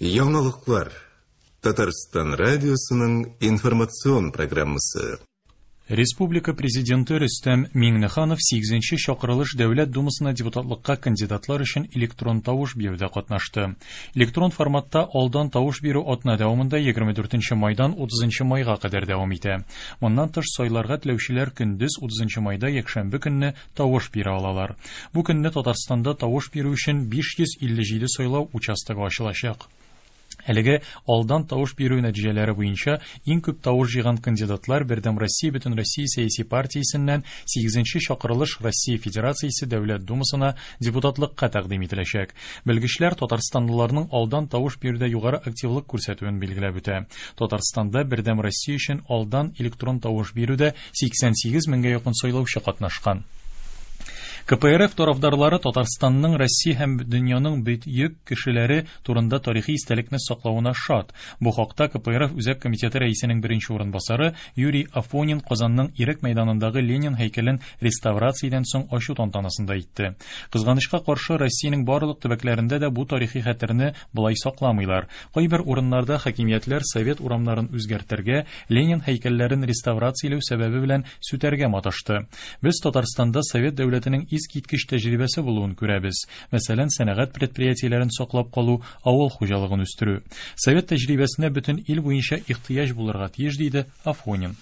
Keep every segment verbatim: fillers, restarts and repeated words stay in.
Яңалыклар. Татарстан радиосының информацион программасы. Республика президенты Рөстәм Миңнеханов сигезенче чакырылыш Дәүләт Думасына депутатлыкка кандидатлар өчен электрон тавыш бирүдә катнашты. Электрон форматта алдан тавыш бирү атна дәвамында егерме дүртенче майдан утызынчы майга кадәр дәвам итә. Моннан тыш сайларга теләүчеләр көндез утызынчы майда якшәмбе көнне тавыш бирә алалар. Бу көнне Татарстанда тавыш бирү өчен биш йөз илле җиде сайлау участогы ачылачак. Әлеге алдан тавыш бирү нәтиҗәләре буенча иң күп тавыш җыйган кандидатлар Бердәм Россия Бөтенроссия сәяси партиясеннән сигезенче чакырылыш Россия Федерациясе Дәүләт Думасына депутатлыкка тәкъдим ителәчәк. Белгечләр татарстанлыларның алдан тавыш бирүдә югары активлык күрсәтүен билгеләп үтә. Татарстанда Бердәм Россия өчен алдан электрон тавыш бирүдә сиксән сигез меңгә якын сайлаучы катнашкан. К П Р Ф тарафдарлары Татарстанның Россия һәм дөньяның бөек кешеләре турында тарихи истәлекне саклавына шат. Бу хакта К П Р Ф Үзәк комитеты рәисенең беренче урынбасары Юрий Афонин Казанның Ирек мәйданындагы Ленин һәйкәлен реставрациядән соң ачу тантанасында әйтте. Кызганычка каршы, Россиянең барлык төбәкләрендә дә бу тарихи хәтерне болай сакламыйлар. Кайбер урыннарда хакимиятләр совет урамнарын үзгәртергә, Ленин һәйкәлләрен реставрацияләү сәбәбе белән сүтәргә маташты. Без Татарстанда совет дәүләтенең искиткеч тәҗрибәсе булуын күрәбез. Мәсәлән, сәнәгать предприятиеләрен саклап калу, авыл хуҗалыгын үстерү. Совет тәҗрибәсенә бөтен ил буенча ихтыяҗ булырга тиеш, диде Афонин.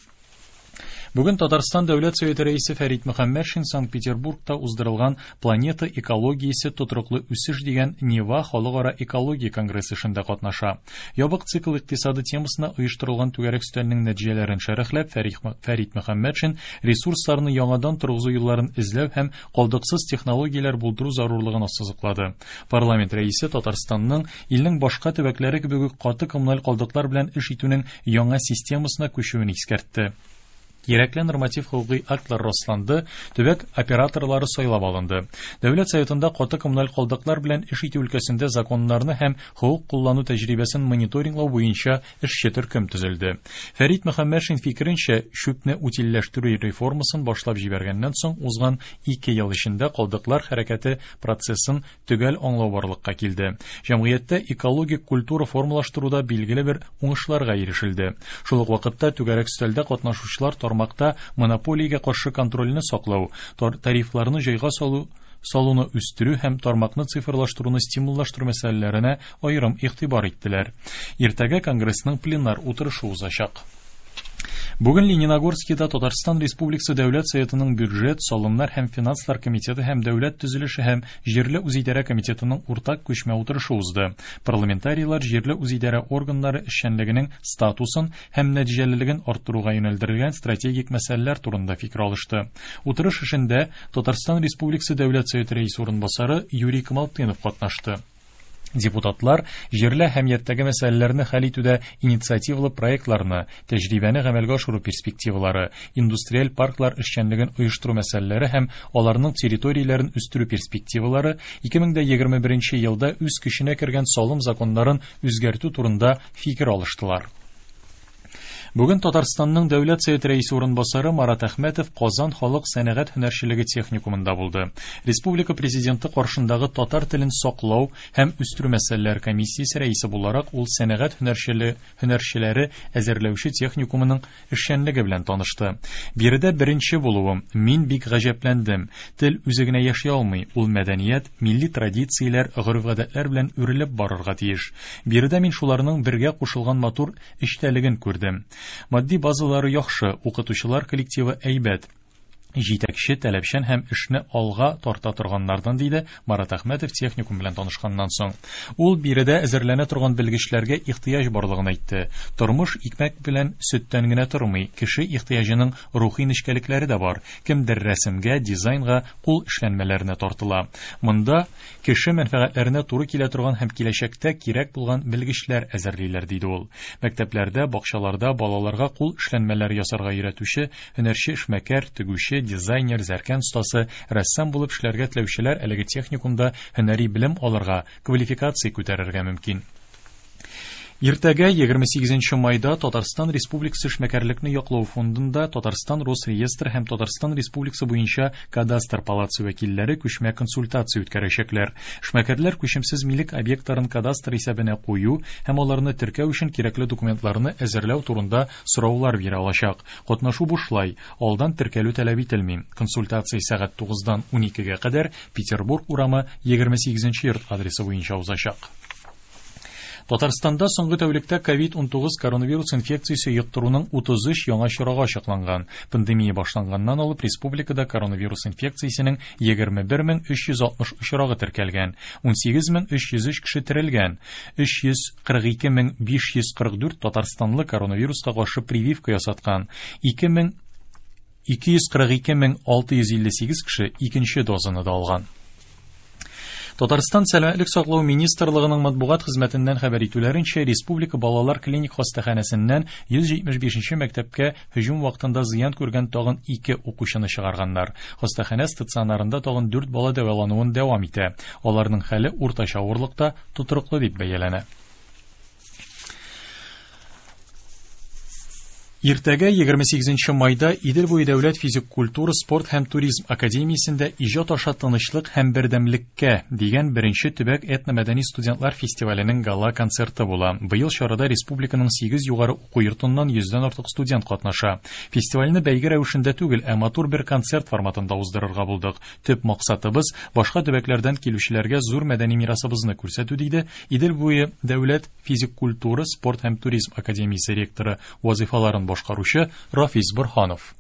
Бүген Татарстан Дәүләт Советы рәисе Фәрит Мөхәммәтшин Санкт-Петербургта уздырылган Планета экологиясе тотрыклы үсеш дигән Нева халыкара экология конгрессы эшендә катнаша. Ябык цикл икътисады темасына оештырылган түгәрәк өстәлнең нәтиҗәләрен шәрехләп, Фәрит Мөхәммәтшин ресурсларны яңадан торгызу юлларын эзләү һәм калдыксыз технологияләр булдыру зарурлыгын ассызыклады. Парламент рәисе Татарстанның илнең башка төбәкләре кебек үк каты коммуналь калдыклар белән эш итүнең яңа системасына күчүен искәртте. Кирәкле норматив хукуки актлар расланды, төбәк операторлары сайлап алынды. Дәүләт Советында каты коммуналь калдыклар белән эш итү өлкәсендә законнарны һәм хукук куллану тәҗрибәсен мониторинглау буенча эшче төркем төзелде. Фәрит Мөхәммәтшин фикеренчә, чүпне утильләштерү реформасын башлап җибәргәннән соң узган ике ел эчендә калдыклар хәрәкәте процессын төгәл аңлау барлыкка килде. Җәмгыятьтә экологик культура формалаштыруда билгеле бер уңышларга ирешелде. Шул ук вакытта түгәрәк өстәлдә катнашучылар тармакта монополиягә каршы контрольне саклау, тарифларны җайга салу, салуны үстерү һәм тармакны цифрлаштыруны стимуллаштыру мәсьәләләренә аерым игътибар иттеләр. Иртәгә конгрессның пленар утырышы узачак. Бүген Лениногорскида Татарстан Республикасы Дәүләт Советының бюджет, салымнар һәм финанслар комитеты һәм дәүләт төзелеше һәм җирле үзидарә комитетының уртак күчмә утырышы узды. Парламентарийлар җирле үзидарә органнары эшчәнлегенең статусын һәм нәтиҗәлелеген арттыруга юнәлдерелгән стратегик мәсьәләләр турында фикер алышты. Утырыш эшендә Татарстан Республикасы Дәүләт Советы рәисе урынбасары Юрий Камалтынов катнашты. Депутатлар җирле әһәмияттәге мәсьәләләрне хәл итүдә инициативалы проектларны, тәҗрибәне гамәлгә ашыру перспективалары, индустриаль парклар эшчәнлеген оештыру мәсьәләләре һәм аларның территорияләрен үстерү перспективалары ике мең дә егерме беренче елда үз көченә кергән салым законнарын үзгәртү турында фикер алыштылар. Бүген Татарстанның Дәүләт Советы рәисе урынбасары Марат Әхмәтов Казан халык сәнәгать һөнәрчелеге техникумында булды. Республика президенты каршындагы татар телен саклау һәм үстерү мәсьәләләре комиссиясе рәисе буларак ул сәнәгать һөнәрчеле, һөнәрчеләре әзерләүче техникумының эшчәнлеге белән танышты. Биредә беренче булуым, мин бик гаҗәпләндем. Тел үзе генә яши алмый, ул мәдәният, милли традицияләр, гореф-гадәтләр белән үрелеп барырга тиеш. Биредә мин шуларның бергә кушылган матур эчтәлеген күрдем. Матди базалары яхшы, укытучылар коллективы әйбәт. Җитәкче таләпчән һәм эшне алга тарта торганнардан, диде Марат Әхмәтов техникум белән танышканнан соң. Ул биредә әзерләнә торган белгечләргә ихтыяҗ барлыгын әйтте. Тормыш икмәк белән сөттән генә тормый, кеше ихтыяҗының рухи нечкәлекләре дә бар. Кемдер рәсемгә, дизайнга, кул эшләнмәләренә тартыла. Монда кеше мәнфәгатьләренә туры килә торган һәм киләчәктә кирәк булган белгечләр әзерлиләр, диде ул. Мәктәпләрдә, бакчаларда балаларга кул эшләнмәләре ясарга өйрәтүче һөнәрче эшмәкәр, тегүче, дизайнер, зәркән остасы, рәссам булып эшләргә теләүчеләр әлеге техникумда һөнәри белем алырга, квалификация күтәрергә мөмкин. Иртәгә егерме сигезенче майда Татарстан Республикасы эшмәкәрлекне яклау фондында Татарстан Росреестр һәм Татарстан Республикасы буенча кадастр палатасы вәкилләре күчмә консультация үткәрәчәкләр. Эшмәкәрләр күчемсез милек объектларын кадастр исәбенә кую һәм аларны теркәү өчен кирәкле документларны әзерләү турында сораулар бирә алачак. Катнашу бушлай, алдан теркәлү таләп ителми. Консультация сәгать тугыздан уникегә кадәр Петербург урамы егерме сигезенче йорт адресы буенча узачак. Татарстанда соңгы тәүлектә ковид унтугыз коронавирус инфекциясе йоктыруның утыз өч яңа очрагы ачыкланган. Пандемия башланганнан алып республикада коронавирус инфекциясенең егерме бер мең өч йөз алтмыш очрагы теркәлгән, ун сигез мең өч йөз өч кеше терелгән, өч йөз кырык ике мең биш йөз кырык дүрт татарстанлы коронавируска каршы прививка ясаткан, ике мең ике йөз кырык ике мең алты йөз илле сигез кеше икенче дозаны да алган. Татарстан Сәламәтлек саклау министрлыгының матбугат хезмәтеннән хәбәр итүләренчә, Республика балалар клиник хастаханәсеннән йөз җитмеш бишенче мәктәпкә һөҗүм вакытында зыян күргән тагын ике укучыны чыгарганнар. Хастаханә стационарында тагын дүрт бала дәвалануын дәвам итә. Аларның хәле уртача авырлыкта тотрыклы дип бәяләнә. Иртәгә егерме сигезенче майда Идел буе дәүләт физик культура, спорт һәм туризм академиясендә иҗат аша тынычлык һәм бердәмлеккә дигән беренче төбәк этномәдәни студентлар фестиваленең гала концерты була. Быел чарада республиканың сигез югары уку йортыннан йөздән артык студент катнаша. Фестивальне бәйге рәвешендә түгел, ә матур бер концерт форматында уздырырга булдык. Төп максатыбыз башка төбәкләрдән килүчеләргә зур мәдәни мирасыбызны күрсәтү, диде Идел буе дәүләт физик культура, спорт һәм туризм академиясе ректоры вазифаларын башкаручы Рафис Борһанов.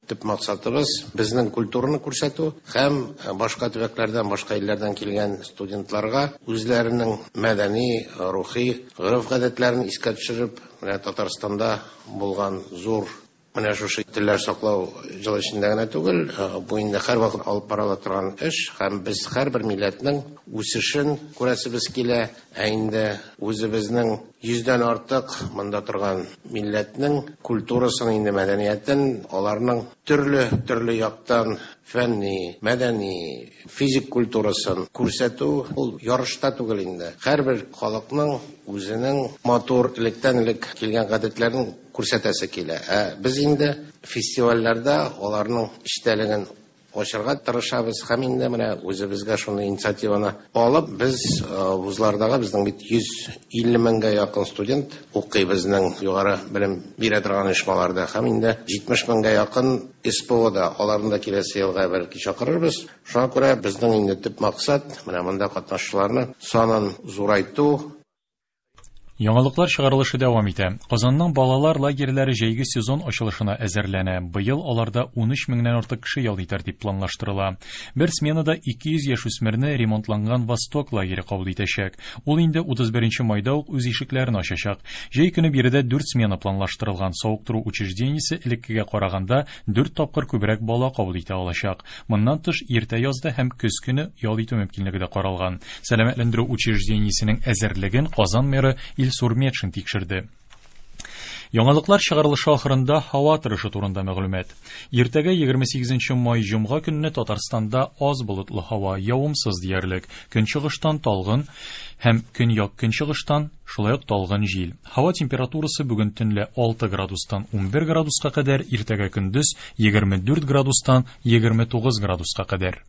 Төп максатыбыз безнең культураны күрсәтү һәм башка төбәкләрдән, башка илләрдән килгән студентларга үзләренең мәдәни, рухи гореф-гадәтләрен искә төшереп, менә Татарстанда булган зур менә шушы телләр саклау җыл эчендә генә түгел, бу инде һәрвакыт алып барыла торган эш, һәм без һәрбер милләтнең үсешен күрәсебез килә, ә инде үзебезнең йөздән артык монда торган милләтнең культурасын, инде мәдәниятен, аларның төрле-төрле яктан фәнни, мәдәни, физик культурасын күрсәтү ул ярышта түгел инде. Һәрбер халыкның үзенең матур электән-элек килгән гадәтләрен күрсәтәсе килә. Ә без инде фестивальләрдә аларның эчтәлеген ачырга тырышабыз һәм инде менә үзебезгә шуны инициативаны алып, без вузлардагы безнең бит йөз илле меңгә якын студент укый безнең югары белем бирә торган оешмаларда һәм инде җитмеш меңгә якын эс пэ о-да, аларны да киләсе елга бәлки чакырырбыз. Шуңа күрә безнең инде төп максат менә монда катнашучыларны санын зурайту. Яңалыклар чыгарылышы дәвам итә. Казанның балалар лагерьләре җәйге сезон ачылышына әзерләнә. Быел аларда ун өч меңнән артык кеше ял итәр дип планлаштырыла. Бер сменада ике йөз яшүсмерне ремонтланган Восток лагере кабул итәчәк. Ул инде утыз беренче майда ук үз ишекләрен ачачак. Җәй көне биредә дүрт смена планлаштырылган. Савыктыру учреждениесе элеккегә караганда дүрт тапкыр күбрәк бала кабул итә алачак. Моннан тыш иртә язда һәм көз көне ял итү мөмкинлеге дә каралган. Сәламәтләндерү учреждениесенең әзерлеген Казан мэры Илсур Метшин тикшерде. Яңалыклар чыгарылышы ахырында һава торышы турында мәгълүмат. Иртәгә егерме сигезенче май җомга көнне Татарстанда аз болытлы һава, явымсыз диярлек. Көнчыгыштан талгын һәм көньяк көнчыгыштан шулай ук талгын җил. Һава температурасы бүген төнлә алты градустан унбер градуска кадәр, иртәгә көндез егерме дүрт градустан егерме тугыз градуска кадәр.